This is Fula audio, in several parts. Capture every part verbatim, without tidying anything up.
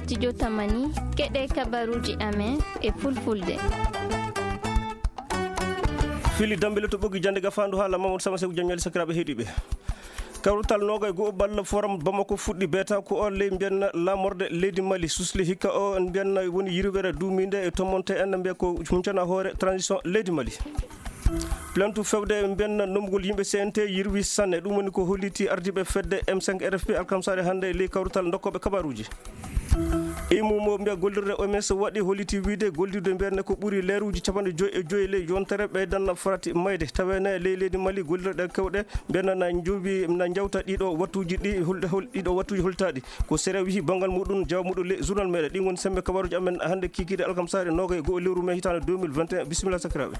Studio Tamani, keɗe kabaruuji amen e fulfulde. Fili Dambele to ɓoggi jannde gafaandu haala Mamadou Sama Seku Jaññali sakiraaɓe heɗiiɓe. Kawrital noogay go'o balla forum Bamako fuɗɗi beeta ko o ley mbiyanna laamorde leydi Mali susli hikka o mbiyanna woni yirwere duumiinde e tomonte en mbiya ko huncana hoore transition leydi Mali. Plainte fewde mbiyanna nomgol yimɓe C N T yirwi sanne, ɗum woni ko holliti ardiiɓe fedde M cinq R F P alkamsaare hannde e ley kawrital dokkooɓe kabaruuji. Imu mo mbiya gollirde O M S waɗi holliti wiide gollirde mbiyanne ko ɓuri leeruuji capanɗe joyi e joyi ley yontere ɓeydan farati mayde. Taweene ley leydi Mali gollirɗe kewɗe mbiyanna na njowi, na njawta ɗiɗo wattuuji ɗi hol-, hol-, ɗiɗo wattuuji holtaaɗi. Ko sere wihi banngal muɗum, jawa muɗum ley journal meɗen. Ɗin woni sembe kabaruuji amen hannde kikiiɗe alkamsaare noogay e go'o lewru mai hitaande deux mille vingt et un. Bisimilla sakiraaɓe.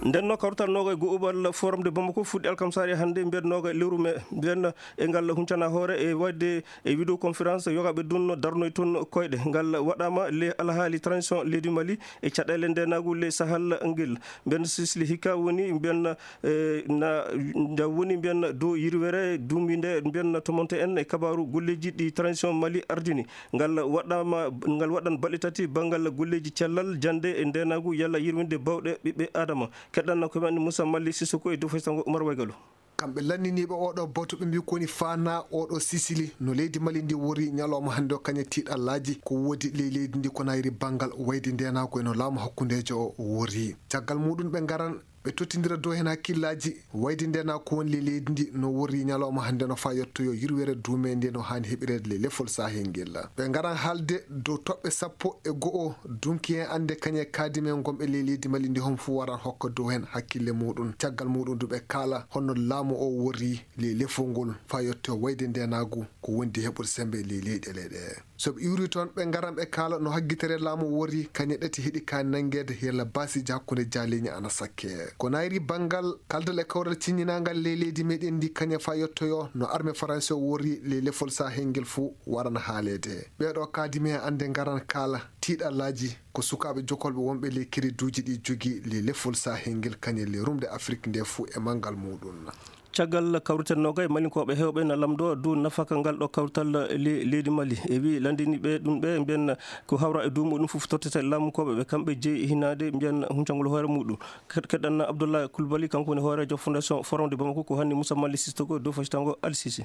Nden no kawrital noogay e go'o balla forum de Bamako fuɗɗi alkamsaare hannde mbiyan noogay lewru mai mbiyan e ngal huncana hoore e waɗde e vidéoconférence yogaɓe dunno darnoy toon koyɗe. Ngal waɗama le alhaali transition leydi Mali e caɗele ndenagu le Sahel ngel. Mbiyan sisli hikka woni mbiyan, eh, na, nda woni mbiyan dow yirwere duuminde mbiyan tomonte en e kabaru golleji ɗi transition Mali ardini. Ngal waɗama, ngal waɗan balɗe tati banngal golleji cellal, jannde e ndenagu yalla yirwinde bawɗe ɓiɓɓe Adama. Keɗɗanno ko men Moussa Mali Sissoko e dow faysango Oumar Waygalo. Kamɓe lanniniiɓe oɗo batu ɓe mbi ko woni faana oɗo Sisili no leydi Mali ndi wori ñalawma hannde o kañe tiiɗallaaji ko woodi ley leydi ndi ko nayri banngal wayde ndenagu e no laamu hakkundeejo o wori. Caggal muɗum ɓe ngaran ɓe tottindira dow heen hakkillaaji wayde ndenagu ko woni ley leydi ndi no wori ñalawma hannde no faa yettoyo yirwere duume nde no haani heɓireede ley lefol Sahel ngel. Ɓe ngaran haalde dow toɓɓe sappo e go'o dunki heen annde kañe kaadime ngonɓe ley leydi Mali ndi hon fuu waran hokka dow heen hakkille muɗum. Caggal muɗum du ɓe kaala honno laamu o wori ley lefol ngol faa yetto wayde ndenagu ko wondi heɓude sembe ley leyɗe leyɗe. So ɓe iwri toon ɓe ngaran ɓe kaala no haggitere laamu wori kañe ɗati heɗi kaani nanngeede yalla baasiiji hakkunde jaaliiñe ana sakke. Ko nayri banngal kaldal e kawral ciññinaangal ley leydi meɗen ndi kañe faa yettoyo no arme faransi o wori ley lefol Sahel ngel fuu waran haaleede. Ɓeeɗo kaadime heen annde ngaran kaala tiiɗallaaji ko sukaaɓe jokolɓe wonɓe ley kereduuji ɗi jogii ley lefol Sahel ngel kañe ley rumde Afrik nde fuu e manngal muɗum. Caggal kawrital noogay, Malinkooɓe heewɓe na lamndoo dow nafaka ngal ɗo kawrital le-, leydi Mali. E wi lanndiniiɓe ɗum ɓe mbiyan ko hawra e dow muɗum fof tottete laamunkooɓe ɓe, kamɓe jeyi hinaade mbiyan huncangol hoore muɗum. Ked-, keɗɗan Abdoulaye Coulibaly, kanko woni hooreejo Fondation Forum de Bamako, ko hanni Moussa Mali Sissoko dow fasitango Al Sisi.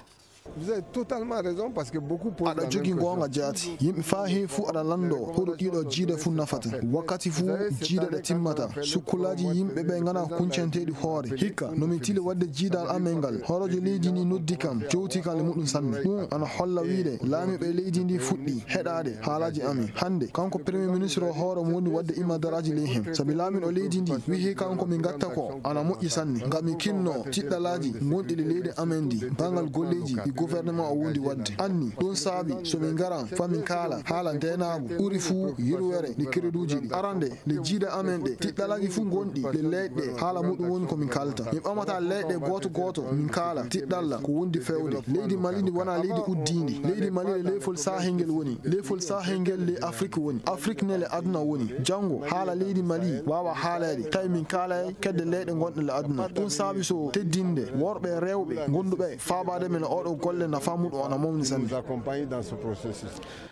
Vous avez totalement raison parce que beaucoup posent la même question. Aɗa jogii goonga jaati. Yimɓe faa heewi fuu aɗa lanndoo hoɗo ɗiɗo jiida fuu nafata. Wakkati fuu jiida ɗe timmata. Sukkulaaji yimɓe ɓe nganaa kuncanteeɗi hoore. Hikka, no mi tili waɗde jiidal amen ngal. Hooreejo leydi ni noddi kam, jowti kam e muɗum sanne. Ɗum ana holla wiide laamiiɓe leydi ndi fuɗɗi heɗaade haalaaji amen. Hannde, kanko Premier Ministre o hoore mo woni waɗde immadaraaji ley heen. Sabi laamiiɗo leydi ndi wihi kanko mi ngatta ko ana moƴƴi sanne. Ngam mi kinno tiɗɗalaaji gonɗi le leydi amen ndi, banngal golleeji ɗi gouvernement o wondi waɗde. Anni, ɗum saabi so min ngaran faa min kaala haala ndeenaagu ɓuri fuu yirwere nde kereduuji ɗi. Arande, le jiida amen ɗe, tiɗɗalaaji fuu gonɗi le leyɗe, haala muɗum woni ko min kaalta. Min ɓamata leyɗe gooto gooto, min kaala tiɗɗalla ko wondi fewde. Leydi Mali ndi wonaa leydi uddiindi. Leydi Mali le leyfol Sahel ngel woni. Leyfol Sahel ngel le Afrik woni. Afrik ne le aduna woni. Janngo, haala leydi Mali waawa haaleede, tawi min kaalay kedde leyɗe gonɗe le aduna. Ɗum saabi so teddinde worɓe rewɓe gonduɓe faabaade men oɗo golle nafa muɗum ana mawni sanne.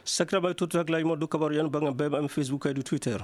Sakiraaɓe, tottu hakkilaaji mon dow kabaru en bannge B M M Facebook kaydi Twitter.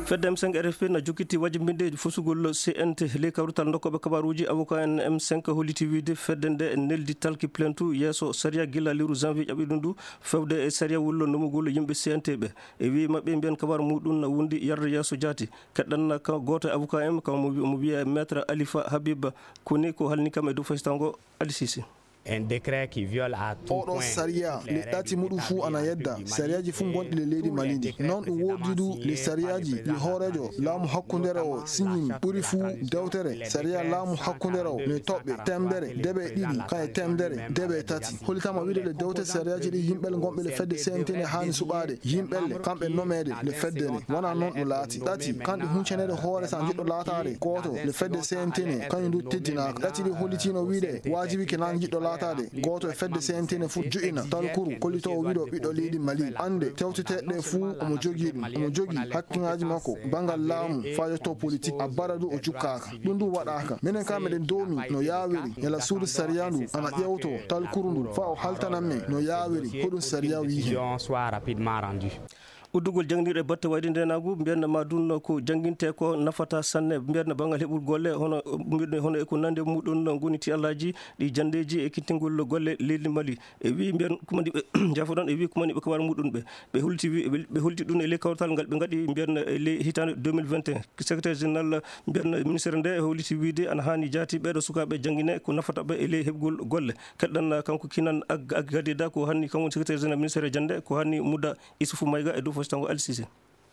Fedde M cinq R F P na jokkiti wajmbinde fusugol C N T. Ley kawrital dokkooɓe kabaruuji, avocat en M cinq holliti wiide fedde nde neldi talki plainte yeeso sariya gila lewru janvier ƴaɓɓiɗum ndu, fewde e sariya wullo nomugol yimɓe C N T ɓe. E wi'i maɓɓe mbiyan kabaru muɗum na wondi yarde yeeso jaati. Keɗɗan ka gooto e avocat en, ka mo wi-, mo wiya Maître Alifa Habib, koni ko halni kam e dow faysango Ali Sisi. Un décret qui viole à tout point. Oɗo sariya, le ɗati muɗum fuu ana yedda sariyaaji fuu gonɗi le leydi Mali ndi. Non ɗum woodi du le sariyaaji ɗi hooreejo laamu hakkundere o signini ɓuri fuu dewtere sariya laamu hakkundere o le toɓɓe temedere deɓe ɗiɗi kaye temedere deɓe tati. Hollitama wiide le dewte sariyaaji ɗi yimɓe gonɓe le fedde C N T ne haani suɓaade yimɓe le kamɓe nomeede le fedde ne. Wona non ɗum laati. Ɗati, kanɗe huncaneede hoore sa jiɗɗo laataade gooto le fedde C N T ne, kañum du teddinaaka. Ɗati ɗi hollitino wiide waajibi ke naan jiɗɗo Ataade gooto e fedde C N T ne fof joƴina talkuru kollitoowo wiɗo ɓiɗɗo leydi Mali. Annde tewteteeɗe ɗe fuu omo jogii ɗum. Omo jogii hakkiŋaaji makko banngal laamu faa yetto politik. Abbara du o jukkaaka. Ɗum ɗum waɗaaka. Minen kaa meɗen doomi no yaawiri. Yala suudu sariya ndu ana ƴeewto talkuru ndu faa o haltanan men no yaawiri. Hoɗum sariya wiyi hen? Uddugol jannginirɗe batte wayde ndeenaagu, mbiyen ma ɗum ko jannginte ko nafata sanne, mbiyen banngal heɓugol golle, hono, mbiyen hono e ko nandi e muɗum ngoni tiyallaaji ɗi janndeeji e ekkitingol golle leydi Mali. E wi mbiyen kumani ɓe, jaafoɗon, e wi kumani ɓe kabaru muɗum ɓe. Ɓe holti wi, ɓe, ɓe holti ɗum e ley kawtal ngal ɓe ngaɗi mbiyen e ley hitaande deux mille vingt et un. Secrétaire général mbiyen ministère nde holti wiide ana haani jaati ɓeeɗo sukaaɓe janngine ko nafata ɓe e ley heɓugol golle. Keɗɗan kanko Kinan Ag-, Ag-, Gadida ko hanni kanko secrétaire général ministère jannde ko hanni Mouda Issoufou Maïga e dow fositango Al Sisi.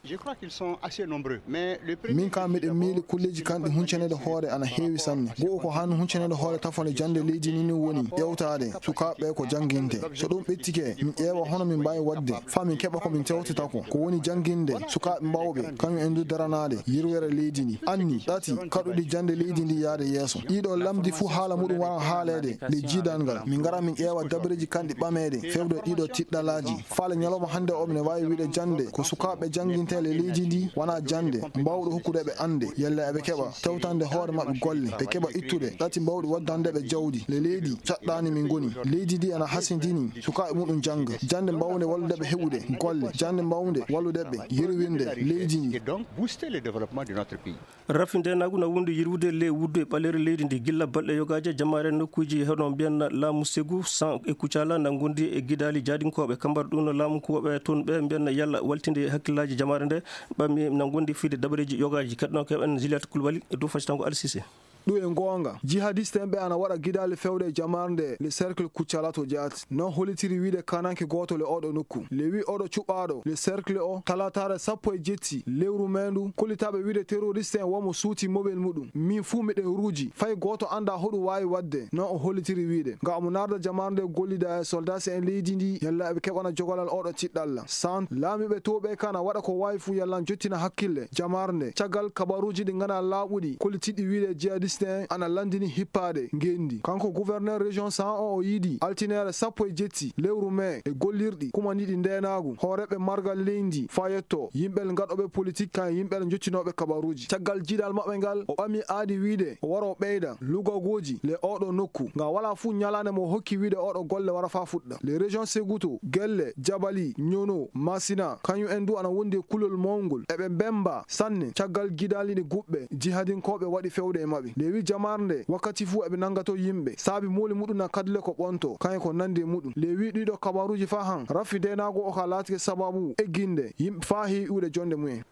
Je crois qu'ils sont assez nombreux, mais le premier Min kam miɗen miili kulleeji kanɗi huncaneede hoore ana heewi sanne. Go'o ko han huncaneede hoore tafone jannde leydi ni ni woni ƴeewtaade sukaaɓe ko jannginte. So ɗum ɓettike, min ƴeewa hono min mbaawi waɗde faa min keɓa ko min tewtata ko. Ko woni jannginde sukaaɓe mawɓe, kañum en du daranaade yirwere leydi ndi. Anni, ɗati, kaɗuɗi jannde leydi ndi yaade yeeso. Ɗiɗo lamdi fuu haala muɗum waran haaleede nde jiidal ngal. Min ngara min ƴeewa dabareeji kanɗi ɓameede fewde ɗiɗo tiɗɗalaaji. Faale ñalawma hannde o, mine waawi wiide jannde ko sukaaɓe jannginte le leydi ndi wonaa jannde mbaawɗo hokkude ɓe annde, yalla eɓe keɓa tewtande hoore maɓɓe golle, ɓe keɓa ittude ɗati mbaawɗi waddande ɓe jawdi. Le leydi caɗɗaani min ngoni. Leydi ndi ana hasindini sukaaɓe muɗum jannga. Jannde mbawnde wallude ɓe heɓude golle. Jannde mbawnde wallude ɓe yerwinde leydi ndi. Et donc booster le développement de notre pays. Rafi ndeenaagu na wondi yirwude le wuddu e ɓaleeri leydi ndi gilla balɗe yogaaje. Jamaare nokkuuji hono mbiyen laamu Segu, San e Kucala na ngondi e gidaali jaadinkooɓe. Kambar ɗum no laamu kuwooɓe toon ɓe mbiyen yalla waltinde hakkillaaji jamaare nde ɓammi na ngondi fiide dabareeji yogaaji. Keɗɗon keɓen Juliette Koulibaly e dow fasitango Al Sisi. Ɗum e goonga, jihadiste en ɓe ana waɗa gidaali fewde e jamaare nde le cercle Kucala to jaati. Non hollitiri wiide kananke gooto le oɗo nokku. Le wi oɗo cuɓaaɗo le cercle o, talataare sappo e jetti lewru meendu, kollitaaɓe wiide terroriste en womo suuti mobel muɗum. Min fuu miɗen ruuji, fay gooto anndaa hoɗum waawi waɗde. Non o hollitiri wiide, nga omo naarda jamaare nde gollida e soldaasi en leydi ndi, yalla eɓe keɓana jogolal oɗo tiɗɗalla. San, laamiiɓe towɓe kana waɗa ko waawi fuu yalla jottina hakkille jamaare nde. Caggal kabaruuji ɗi ngana laaɓuɗi, kollitiɗi wiide jihadiste en ana lanndini hippaade ngenndi. Kanko gouverneur région San o, o yiidi altineere sappo e jetti lewru mee e gollirɗi kumaniiɗi ndeenaagu, hooreeɓe margal leydi faa yetto yimɓe ngaɗooɓe politik kan yimɓe jottinooɓe kabaruuji. Caggal jiidal maɓɓe ngal, o ɓami aadi wiide o wara o ɓeyda lugagooji le oɗo nokku. Nga walaa fuu ñalaande mo hokki wiide oɗo golle wara faa fuɗɗa. Le région Seguto, Gelle, Jabali, Ñono, Masina, kañum en du ana wondi e kulol mawngol. Eɓe mbemba sanne caggal gidaali ɗi guɓɓe jihadinkooɓe waɗi fewde e maɓɓe. Nde wi jamaare nde wakkati fuu eɓe nanngato yimɓe, saabi mooli muɗum na kadle ko ɓonto, kañum ko nandi e muɗum. Le wi ɗiɗo kabaruuji faa han, rafi ndeenaagu o ka laatike sababu egginde yimɓe faa heewi iwde jonde mumen.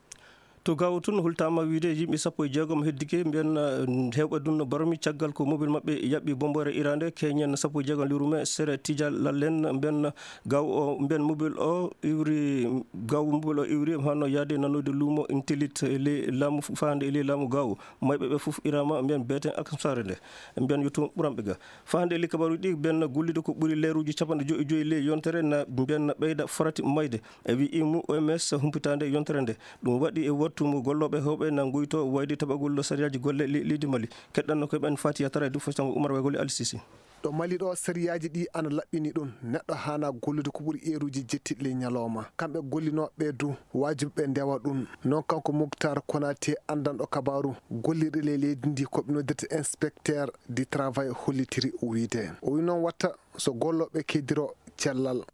To Gaawo tun, hultaama wiide yimɓe sappo e jeegom heddike, mbiyen, eh, heewɓe dunno barmi caggal ko mobil maɓɓe yaɓɓi bomboore iraande, keñen sappo e jeegom lewru mee, sere Tijal Lallen, mbiyen Gaawo o, mbiyen mobil o iwri, Gaawo mobil o iwri, hano yaade nanoyde luumo Intellit e ley laamu, faande e ley laamu Gaawo. Mayɓe ɓe fof iraama, mbiyen beeten alkamsaare nde, mbiyen yo toon ɓuranɓe ga. Faande e ley kabaruuji ɗi, mbiyen gollude ko ɓuri leeruuji capanɗe joyi e joyi ley yontere na mbiyen ɓeyda farati mayde. E wi imu O M S humpitaande yontere nde. Ɗum waɗi e wattu mo gollooɓe heewɓe na ngoyto wayde taɓagol sariyaaji golle le-, leydi Mali. Keɗɗanno ko ɓen Fatiya Tara e Dufo Sango Umar Waygol e Ali Sisi. Ɗo Mali ɗo, sariyaaji ɗi ana laɓɓini ɗum. Neɗɗo haana gollude ko ɓuri eeruuji jetti le ñalawma. Kamɓe gollinooɓe du, waajibi ɓe ndewa ɗum. Non kanko Muktar Konate, anndanɗo kabaaru gollirɗe le leydi ndi, ko ɓe noddirta inspecteur du travail, hollitiri o wiide. O wi noon watta so gollooɓe keddiro cellal.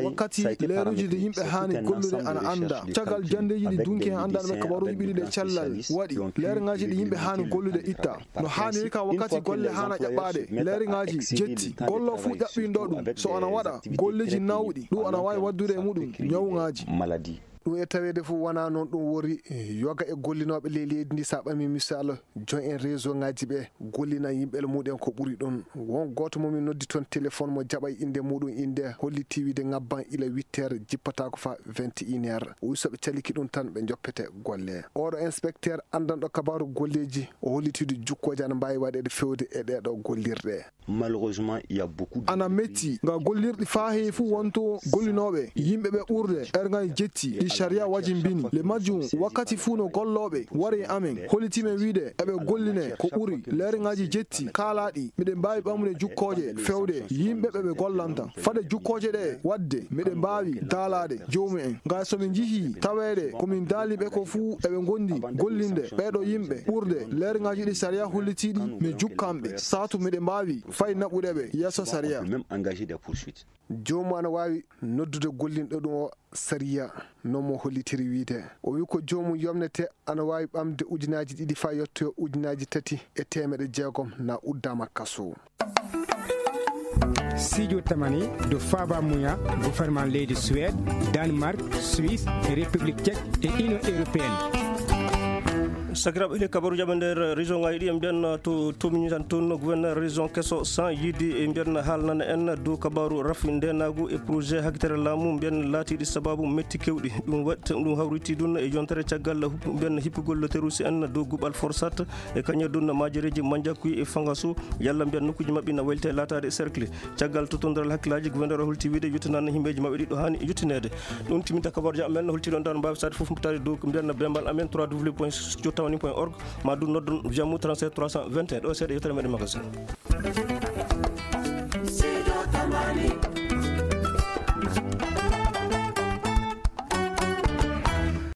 Wakkati leeruuji ɗi yimɓe haani gollude ana annda. Caggal janndeeji ɗi dunki en anndanɓe kabaruuji ɓiɗi ɗe cellal waɗi, leerŋaaji ɗi yimɓe haani gollude itta. No haaniri ka wakkati golle haana ƴaɓɓaade, leerŋaaji jetti. Gollo fuu ƴaɓɓindo ɗum, so ana waɗa golleeji nawɗi, ɗum ana waawi waddude e muɗum ñawŋaaji. Ɗum e taweede fof wonaa noon ɗum wori. Yoga e gollinooɓe ley leydi ndi, so a ɓamii misal, joom en réseau ŋaaji ɓe gollinan yimɓe mumen ko ɓuri ɗum. Won gooto mo min noddi toon téléphone, mo jaɓay innde muɗum, innde hollitii wiide ŋabban ila huit heures, jippataako faa vingt et une heures. O wi so ɓe caliki ɗum tan, ɓe njoppete golle. Oɗo inspecteur anndanɗo kabaaru golleeji, o holliti du jukkooje ana mbaawi waɗeede fewde e ɗee ɗoo gollirɗe. Malheureusement, il y a beaucoup de... Ana metti nga gollirɗi faa heewi fuu wonto gollinooɓe yimɓe ɓe ɓurde erŋay jetti ɗi Sariya wajimbini le majjum wakkati fuu no gollooɓe wari e amen, holliti men wiide eɓe golline ko ɓuri leerŋaaji jetti kaalaaɗi, miɗen mbaawi ɓamude jukkooje fewde yimɓe ɓe ɓe gollanta. Fade jukkooje ɗe waɗde, miɗen mbaawi daalaade joomumen. Ngaa so min njihii taweede ko min daali ɓe ko fuu eɓe ngondi gollinde ɓeeɗo yimɓe ɓurde leerŋaaji ɗi sariya hollitiiɗi, mi jukkan ɓe. Saatu miɗen mbaawi fay naɓude ɓe yeeso sariya. Même engager des poursuites. Joomum ana waawi noddude gollinɗo ɗum o sariya no mo hollitiri wiide. O wi ko joomum yomnete ana waawi ɓamde ujunaaji ɗiɗi faa yottoyo ujunaaji tati e teemeɗe jeegom na uddaama kaso. Sijo tamani do faba muya gouvernement leydi Suède, Danemark, Suisse, République Tchèque et Union Européenne. Sakiraaɓe, le kabaru jaɓe nder région ngaji ɗi en mbiyan to tomini tan toon gouverneur région keso sans yidi e mbiyan haalnana en dow kabaru rafi ndenagu e projet hakitere laamu mbiyan laatiɗi sababu metti kewɗi. Ɗum waɗ ɗum hawriti ɗum e yontere caggal hup- mbiyan hippugol terroriste en dow guɓal forsat e kañum ɗum majereji manjakuy e fangasu yalla mbiyan nokkuji maɓɓe na waylite laataade cercle. Caggal tottondiral hakkillaaji, gouverneur o holti wiide yettinanno himɓeeji maɓɓe ɗiɗo haani yettineede. Ɗum timminta kabaruuji amen, holti ɗon tan mbaawi saade fof mbaɗtaade dow mbiyan bembal amen trois w point jottawani point org, ma ɗum noddon Jammu trente-sept trois cent vingt et un. Ɗo seeɗa yettere meɗen magasin.